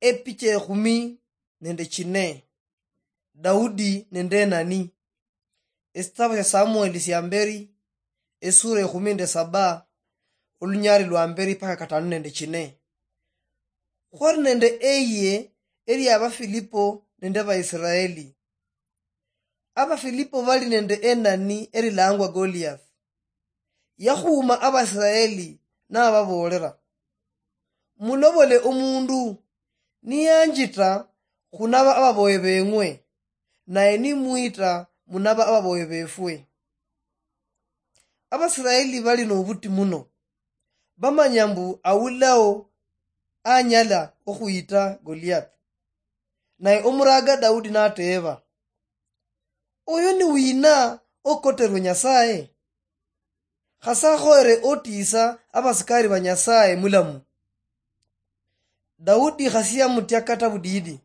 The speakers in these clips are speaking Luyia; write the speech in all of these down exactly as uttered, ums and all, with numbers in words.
Epicha ekhumi nende chine. Daudi nende Enani. Esitabu sia Samueli sia mberi, esura ekhumi nende saba, olunyali lwa mberi paka katanu nende chine. Khwali nende eyie elia Abafilipo nende Abaisiraeli. Abafilipo bali nende Enani erilangwa Goliath. Yakhuuma Abaisiraeli nababoolera, "Mulobole omundu niyanjita khunaba ababoye beng'we, naye nimwita munaba ababoye befwe." Abaisiraeli bali nobuti muno, bamanya mbu awulao anyala okhuyita Goliath. Naye omuraga Daudi nateeba, "Oyo ni wina okoterwe Nyasaye? Khase akhoyere otiisa abasikari ba Nyasaye mulamu." Daudi khasi yamutya kata budidi.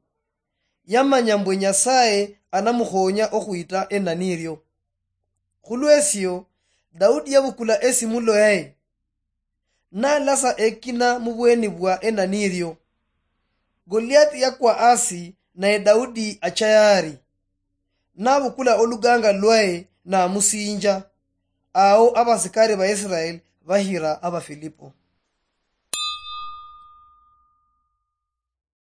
Yamanya mbwe Nyasaye anamukhonya okhwita Enani irio. Khulwesio, Daudi yabukula esimulo yaye, nalasa ekina mubweni bwa Enani irio. Goliathi yakwa asi, naye Daudi acha yaari, nabukula oluganga lwaye namusinja. Ao abasikari ba Israeli bahira Abafilipo.